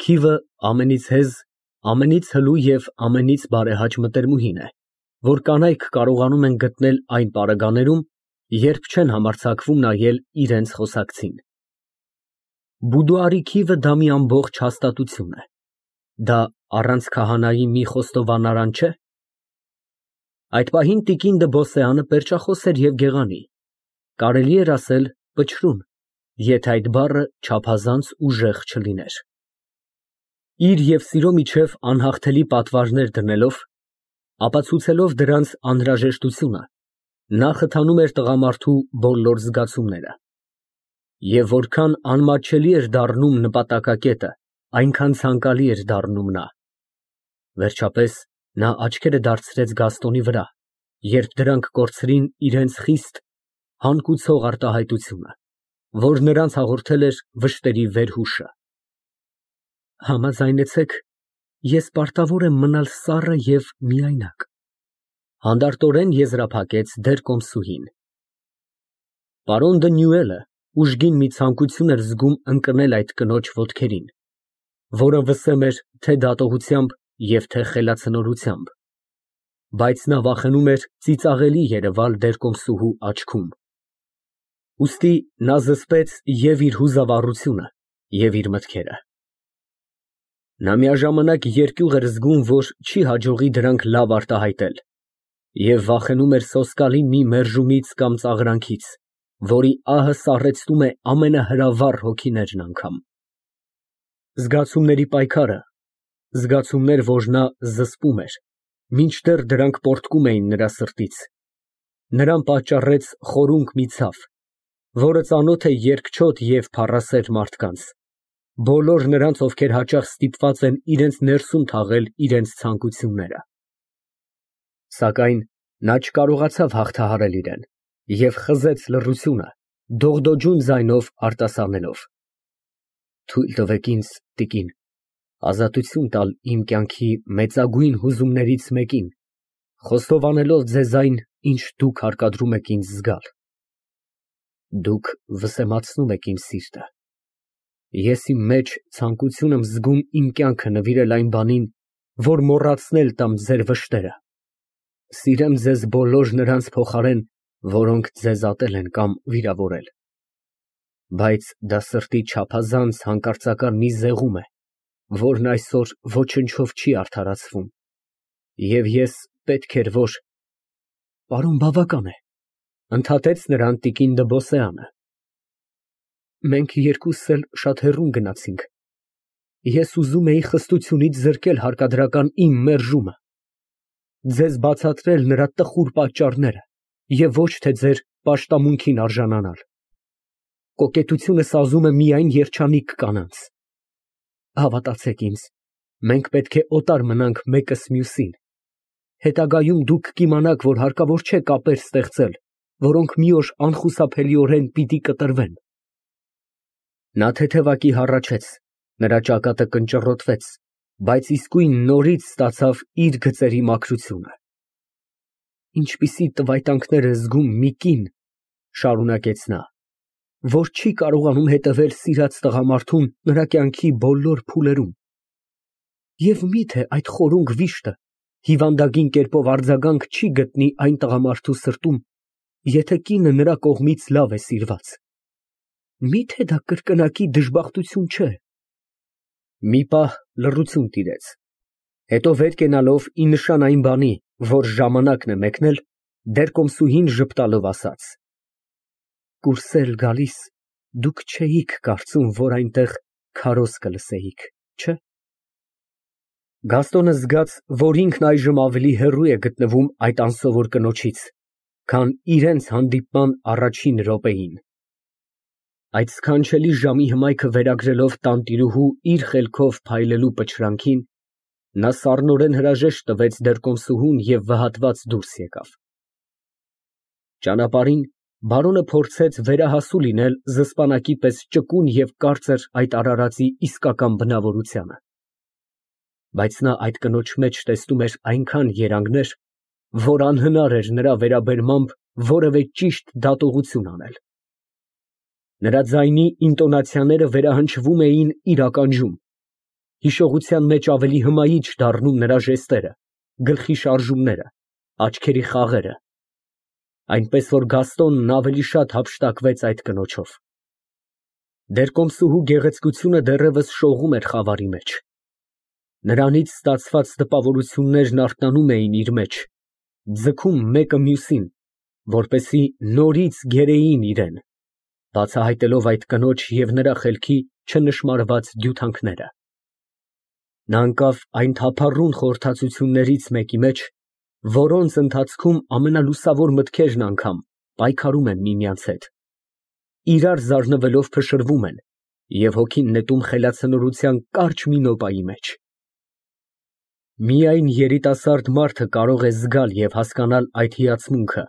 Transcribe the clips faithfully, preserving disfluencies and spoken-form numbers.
Քիվը ամենից հեզ, ամենից հլու և ամենից բարեհաճ մտերմուհին է, որ կանայք կարողանում են գտնել այն պարագաներում, երբ չեն համարձակվում նայել իրենց խոսակցին։ Բուդուարի քիվը դա մի ամբողջ հաստատություն է, դա առանց քահանայի մի խոստովանարան չէ՞։ Այդ պահին տիկին Դըբոսեանը պերճախոս էր և գեղանի, կարելի էր ասել պչրուն, եթե այդ բառը չափազանց ուժեղ չլիներ։ Իր և սիրո միջև անհաղթելի պատվարներ դնելով, ապացուցելով դրանց անհրաժեշտությունը, նա խթանում էր տղամարդու բոլոր զգացումները։ Եվ որքան անմատչելի էր դառնում նպատակակետը, այնքան ցանկալի էր դառնում նա։ Վերջապես նա աչքերը դարձրեց Գաստոնի վրա, երբ դրանք կորցրին իրենց խիստ, հանգուցող արտահայտությունը, որ նրանց հաղորդել էր վշտերի վերհուշը։ Համաձայնեցեք, ես պարտավոր եմ մնալ սառը և միայնակ, հանդարտորեն եզրափակեց դերկոմսուհին։ Պարոն Դը. ուժգին մի ցանկություն էր զգում ընկնել այդ կնոջ ոտքերին, որը վսեմ էր թե դատողությամբ և թե խելացնորությամբ, բայց նա վախենում էր ծիծաղելի երևալ դերկոմսուհու աչքում։ Ուստի նա զսպեց և իր հուզավառությունը, և իր մտքերը։ Նա միաժամանակ երկյուղ էր զգում, որ չի հաջողի դրանք լավ արտահայտել, և վախենում էր սոսկալի մի մերժումից կամ ծաղրանքից, որի ահը սառեցնում է ամենահրավառ հոգիներն անգամ։ Զգացումների պայքարը, զգացումներ, որ նա զսպում էր, մինչդեռ դրանք պոռթկում էին նրա սրտից, նրան պատճառեց խորունկ մի ցավ, որը ծանոթ է երկչոտ և փառասեր մարդկանց, բոլոր նրանց, ովքեր հաճախ ստիպված են իրենց ներսում թաղել իրենց ցանկությունները։ Սակայն նա չկարողացավ հաղթահարել իրեն և խզեց լռությունը, դողդոջուն ձայնով արտասանելով. «Թույլ տվեք ինձ, տիկին, ազատություն տալ իմ կյանքի մեծագույն հուզումներից մեկին, խոստովանելով ձեզ այն, ինչ դուք հարկադրում եք ինձ զգալ։ Դուք վսեմացնում եք իմ սիրտը։ Ես իմ մեջ ցանկություն եմ զգում իմ կյանքը նվիրել այն բանին, որ մոռացնել տամ ձեր վշտերը, սիրեմ ձեզ բոլոր նրանց փոխարեն, որոնք ձեզ ատել են կամ վիրավորել։ Բայց դա սրտի չափազանց հանկարծակար մի զեղում է, որն այսօր ոչնչով չի արդարացվում, և ես պետք էր, որ… Պարոն, բավական է, ընդհատեց նրան տիկին Դըբոսեանը։ Մենք երկուսս էլ շատ հեռուն գնացինք, ես ուզում էի խստությունից զրկել հարկադրական իմ մերժումը, ձեզ բացատրել նրա տխուր պատճառները և ոչ թե ձեր պաշտամունքին արժանանալ։ Կոկետությունը սազում է միայն երջանիկ կանանց։ Հավատացեք ինձ, մենք պետք է օտար մնանք մեկս մյուսին, հետագայում դուք կիմանաք, որ հարկավոր չէ կապեր ստեղծել, որոնք մի օր անխուսափելիորեն պիտի կտրվեն։ Նա թեթևակի հառաչեց, նրա ճակատը կնճռոտվեց, բայց իսկույն նորից ստացավ իր գծերի մաքրությունը։ Ինչպիսի տվայտանքներ է զգում մի կին, շարունակեց նա, որ չի կարողանում հետևել սիրած տղամարդուն նրա կյանքի բոլոր փուլերում։ Եվ մի՞թե այդ խորունկ վիշտը հիվանդագին կերպով արձագանք չի գտնի այն տղամարդու սրտում, եթե կինը նրա կողմից լավ է սիրված։ Մի՞թե դա կրկնակի դժբախտություն չէ։ Մի պահ լռություն տիրեց, հետո վեր կենալով ի նշան այն բանի, որ ժամանակն է մեկնել, դերկոմսուհին ժպտալով ասաց. Կուրսել գալիս, դուք չէիք կարծում, որ այնտեղ քարոզ կլսեիք, չէ՞։ Գաստոնը զգաց, որ ինքն այժմ ավելի հեռու է գտնվում այդ անսովոր կնոջից, քան իրենց հանդիպման առաջին րոպեին։ Այդ սքանչելի ժամի հմայքը վերագրելով տանտիրուհու իր խելքով փայլելու պչրանքին, նա սառնորեն հրաժեշտ տվեց դերկոմսուհուն և վհատված դուրս եկավ։ Ճանապարհին բարոնը փորձեց վերահասու լինել զսպանակի պես ճկուն և կարծր այդ արարածի իսկական բնավորությանը։ Բայց նա այդ կնոջ մեջ տեսնում էր այնքան երանգներ, որ անհնար էր նրա վերաբերմամբ որևէ ճիշտ դատողություն անել։ Նրա ձայնի ինտոնացիաները վերահնչվում էին իր ականջում, Հիշողության մեջ ավելի հմայիչ դառնում նրա ժեստերը, գլխի շարժումները, աչքերի խաղերը, այնպես որ Գաստոնն ավելի շատ հափշտակվեց այդ կնոջով։ Դեռ կոմսուհու գեղեցկությունը դեռևս շողում էր խավարի մեջ։ Նրանից ստացված տպավորություններն արթնանում էին իր մեջ, ձգում մեկը մյուսին, որպեսզի նորից գերեին իրան, բացահայտելով այդ կնոջ և նրա խելքի չնշմարված դյութանքները։ Նա ընկավ այն թափառուն խորհրդածություններից մեկի մեջ, որոնց ընթացքում ամենալուսավոր մտքերն անգամ պայքարում են միմյանց հետ, իրար զարնվելով փշրվում են և հոգին նետում խելացնորության կարճ մի նոպայի մեջ։ Միայն երիտասարդ մարդը կարող է զգալ և հասկանալ այդ հիացմունքը,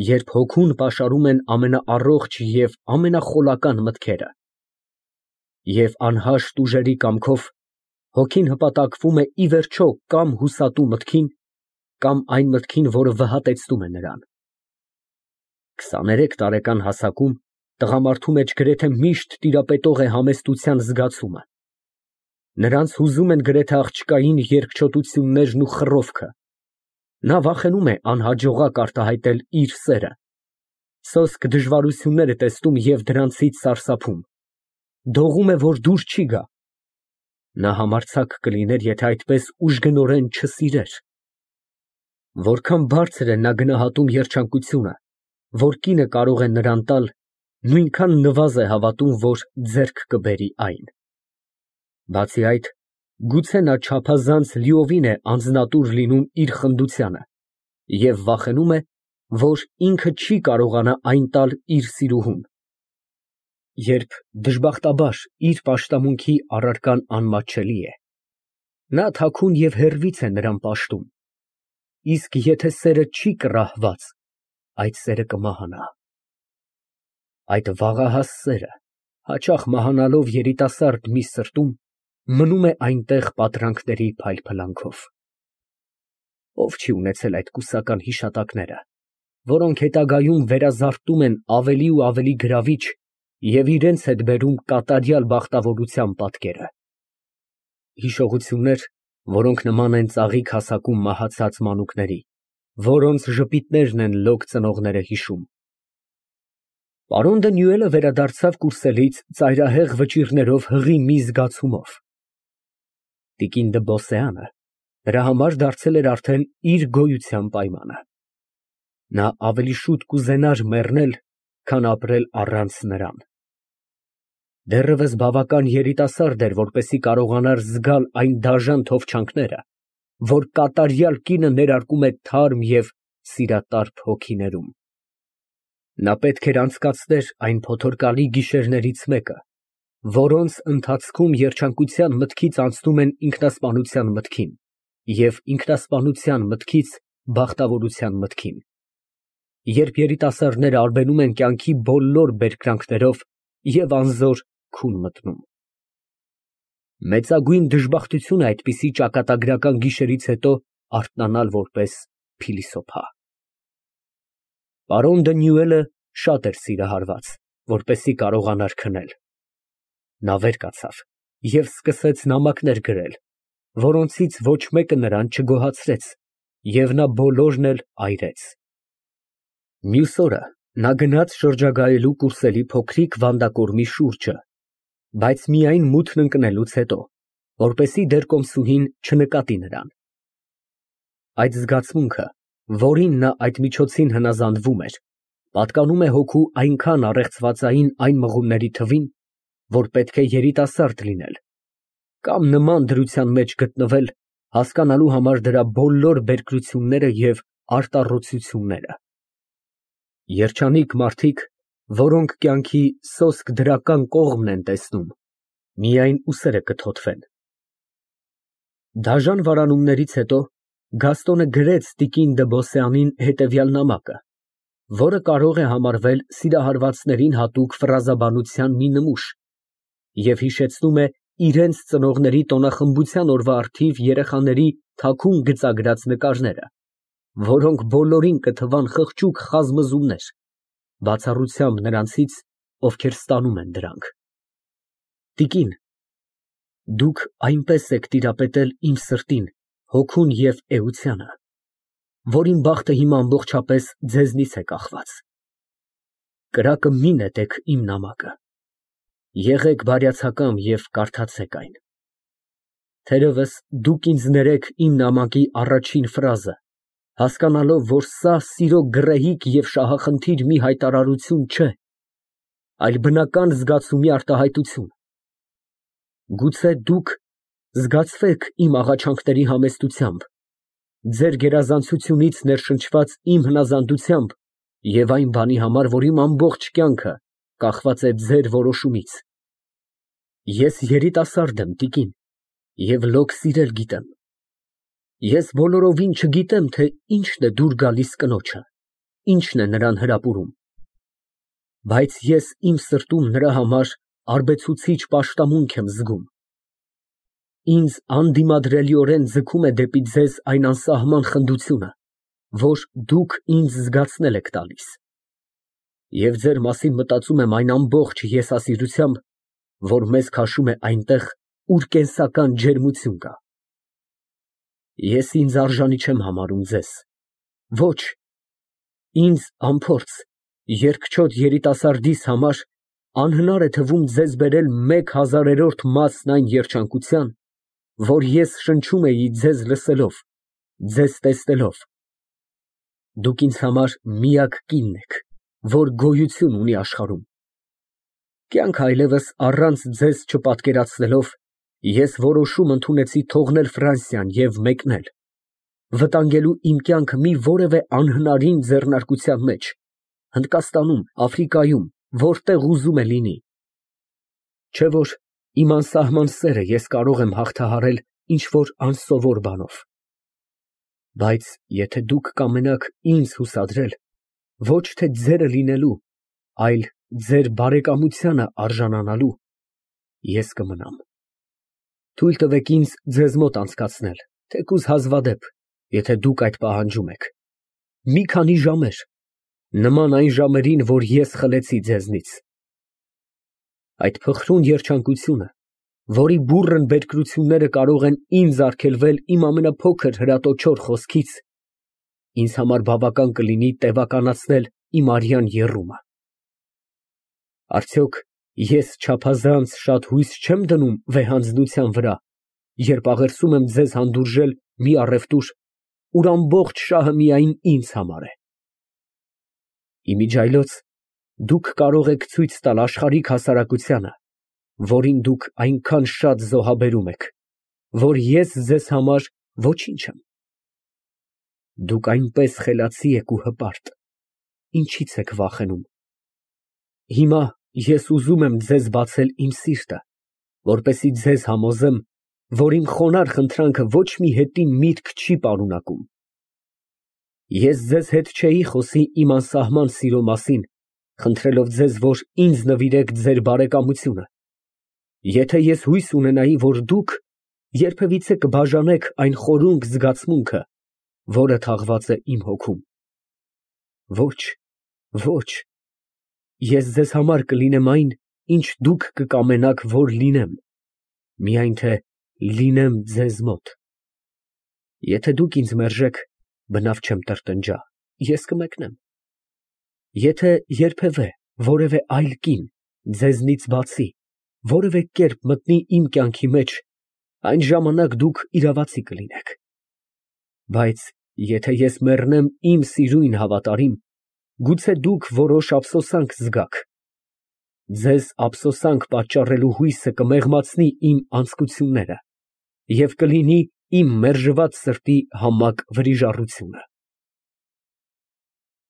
երբ հոգուն պաշարում են ամենաառողջ և ամենախոլական մտքերը, և անհաշտ ուժերի կամքով հոգին հպատակվում է ի վերջո կամ հուսատու մտքին, կամ այն մտքին, որը վհատեցնում է նրան։ Քսաներեք տարեկան հասակում տղամարդու մեջ գրեթե միշտ տիրապետող է համեստության զգացումը։ Նրանց հուզում են գրեթե աղջկային երկչոտություններն ու խռովքը։ Նա վախենում է անհաջողակ արտահայտել իր սերը, սոսկ դժվարություններ է տեսնում և դրանցից սարսափում, դողում է, որ դուր չի գա։ Նա համարձակ կլիներ, եթե այդպես ուժգնորեն չսիրեր։ Որքան բարձր է նա գնահատում երջանկությունը, որ կինը կարող է նրան տալ, նույնքան նվազ է հավատում, որ ձեռք կբերի այն։ Բացի այդ, գուցե նա չափազանց լիովին է անձնատուր լինում իր խնդությանը և վախենում է, որ ինքը չի կարողանա այն տալ իր սիրուհուն, երբ դժբախտաբար իր պաշտամունքի առարկան անմատչելի է։ Նա թաքուն և հեռվից է նրան պաշտում, իսկ եթե սերը չի կռահված, այդ սերը կմահանա։ Այդ վաղահաս սերը, հաճախ մահանալով երիտասարդ մի սրտում, մնում է այնտեղ պատրանքների փայլփլանքով։ Ով չի ունեցել այդ կուսական հիշատակները, որոնք հետագայում վերազարդում են ավելի ու ավելի գրավիչ և իրենց հետ բերում կատարյալ բախտավորության պատկերը։ Հիշողություններ, որոնք նման են ծաղիկ հասակում մահացած մանուկների, որոնց ժպիտներն են լոկ ծնողները հիշում։ Պարոն Դանիելը վերադարձավ կուրսելից ծայրահեղ վճիռներով հղի մի զգացումով։ Տիկին դը Բոսեանը նրա համար դարձել էր արդեն իր գոյության պայմանը։ Նա ավելի շուտ կուզենար մեռնել, քան ապրել առանց նրան։ Դեռևս բավական երիտասարդ էր, որպեսզի կարողանար զգալ այն դաժան թովչանքները, որ կատարյալ կինը ներարկում է թարմ և սիրատարփ հոգիներում։ Նա պետք էր անցկացներ այն փոթորկալի գիշերներից մեկը, որոնց ընթացքում երջանկության մտքից անցնում են ինքնասպանության մտքին և ինքնասպանության մտքից բախտավորության մտքին, երբ երիտասարդները արբենում են կյանքի բոլոր բերկրանքներով և անզոր քուն մտնում։ Մեծագույն դժբախտություն է այդպիսի ճակատագրական գիշերից հետո արթնանալ որպես փիլիսոփա։ Պարոն Դանիելը շատ էր սիրահարված, որպեսզի կարողանար քնել։ Նա վեր կացավ և սկսեց նամակներ գրել, որոնցից ոչ մեկը նրան չգոհացրեց, և նա բոլորն էլ այրեց։ Մյուս օրը նա գնաց շրջագայելու կուրսելի փոքրիկ վանդակորմի շուրջը, բայց միայն մութն ընկնելուց հետո, որպեսզի դեռ կոմսուհին չնկատի նրան։ Այդ զգացմունքը, որին նա այդ միջոցին հնազանդվում էր, պատկանում է հոգու այնքան առեղծվածային այն մղումների թվին, որ պետք է երիտասարդ լինել կամ նման դրության մեջ գտնվել հասկանալու համար դրա բոլոր բերկրությունները և արտառոցությունները։ Երջանիկ մարդիկ, որոնք կյանքի սոսկ դրական կողմն են տեսնում, միայն ուսերը կթոթվեն։ Դաժան վարանումներից հետո Գաստոնը գրեց տիկին դը Բոսեանին հետևյալ նամակը, որը կարող է համարվել սիրահարվածներին հատուկ ֆրազաբանության մի նմուշ և հիշեցնում է իրենց ծնողների տոնախմբության օրվա առթիվ երեխաների թաքուն գծագրած նկարները, որոնք բոլորին կթվան խղճուկ խազմզումներ, բացառությամբ նրանցից, ովքեր ստանում են դրանք։ Տիկին, Դուք այնպես եք տիրապետել իմ սրտին, հոգուն և էությանը, որ իմ բախտը հիմա ամբողջապես ձեզնից է կախված։ Կրակը մի նետեք իմ նամակը, եղեք բարյացակամ և կարդացեք այն։ Թերևս դուք ինձ ներեք իմ նամակի առաջին ֆրազը, հասկանալով, որ սա սիրո գռեհիկ և շահախնդիր մի հայտարարություն չէ, այլ բնական զգացումի արտահայտություն։ Գուցե դուք զգացվեք իմ աղաչանքների համեստությամբ, ձեր գերազանցությունից ներշնչված իմ հնազանդությամբ և այն բանի համար, որ իմ ամբողջ կյանքը կախված է ձեր որոշումից։ Ես երիտասարդ եմ, տիկին, և լոկ սիրել գիտեմ։ Ես բոլորովին չգիտեմ, թե ինչն է դուր գալիս կնոջը, ինչն է նրան հրապուրում, բայց ես իմ սրտում նրա համար արբեցուցիչ պաշտամունք եմ զգում։ Ինձ անդիմադրելիորեն ձգում է դեպի ձեզ այն անսահման խնդությունը, որ դուք ինձ զգացնել եք տալիս, և ձեր մասին մտածում եմ այն ամբողջ եսասիրությամբ, որ մեզ քաշում է այնտեղ, ուր կենսական ջերմություն կա։ Ես ինձ արժանի չեմ համարում ձեզ, ոչ, ինձ անփորձ, երկչոտ երիտասարդիս համար անհնար է թվում ձեզ բերել մեկ հազարերորդ մասն այն երջանկության, որ ես շնչում էի ձեզ լսելով, ձեզ տեսնելով։ Դուք ինձ համար միակ կինն եք, որ գոյություն ունի աշխարհում։ Կյանքը այլևս առանց ձեզ չպատկերացնելով, ես որոշում ընդունեցի թողնել Ֆրանսիան և մեկնել, վտանգելու իմ կյանքը մի որևէ անհնարին ձեռնարկության մեջ, Հնդկաստանում, Աֆրիկայում, որտեղ ուզում է լինի։ Չէ՞ որ իմ անսահման սերը ես կարող եմ հաղթահարել ինչ֊որ անսովոր բանով։ Բայց եթե դուք կամենաք ինձ հուսադրել, ոչ թե ձերը լինելու, այլ ձեր բարեկամությանը արժանանալու, ես կմնամ։ Թույլ տվեք ինձ ձեզ մոտ անցկացնել, թեկուզ հազվադեպ, եթե դուք այդ պահանջում եք, մի քանի ժամեր, նման այն ժամերին, որ ես խլեցի ձեզնից։ Այդ փխրուն երջանկությունը, որի բուռն բերկրությունները կարող են ինձ արգելվել իմ ամենափոքր հրատոչոր խոսքից, ինձ համար բավական կլինի տևականացնել իմ արյան եռումը։ Արդյոք ես չափազանց շատ հույս չեմ դնում վեհանձնության վրա, երբ աղերսում եմ ձեզ հանդուրժել մի առևտուր, ուր ամբողջ շահը միայն ինձ համար է։ Իմիջիայլոց դուք կարող եք ցույց տալ աշխարհիկ հասարակությանը, որին դուք այնքան շատ զոհաբերում եք, որ ես ձեզ համար ոչինչ եմ։ Դուք այնպես խելացի եք ու հպարտ, ինչի՞ց եք վախենում։ Հիմա ես ուզում եմ ձեզ բացել իմ սիրտը, որպեսզի ձեզ համոզեմ, որ իմ խոնարհ խնդրանքը ոչ մի հետին միտք չի պարունակում։ Ես ձեզ հետ չէի խոսի իմ անսահման սիրո մասին, խնդրելով ձեզ, որ ինձ նվիրեք ձեր բարեկամությունը, եթե ես հույս ունենայի, որ դուք երբևիցե կբաժանեք այն խորունկ զգացմունքը, որը թաղված է իմ հոգում։ Ոչ, ոչ, ես ձեզ համար կլինեմ այն, ինչ դուք կկամենաք, որ լինեմ, միայն թե լինեմ ձեզ մոտ։ Եթե դուք ինձ մերժեք, բնավ չեմ տրտնջա, ես կմեկնեմ։ Եթե երբևէ որևէ այլ կին, ձեզնից բացի, որևէ կերպ մտնի իմ կյանքի մեջ, այն ժամանակ դուք իրավացի կլինեք։ Բայց եթե ես մեռնեմ իմ սիրուն հավատարիմ, գուցե դուք որոշ ափսոսանք զգաք։ Ձեզ ափսոսանք պատճառելու հույսը կմեղմացնի իմ անձկությունները և կլինի իմ մերժված սրտի համակ վրիժառությունը։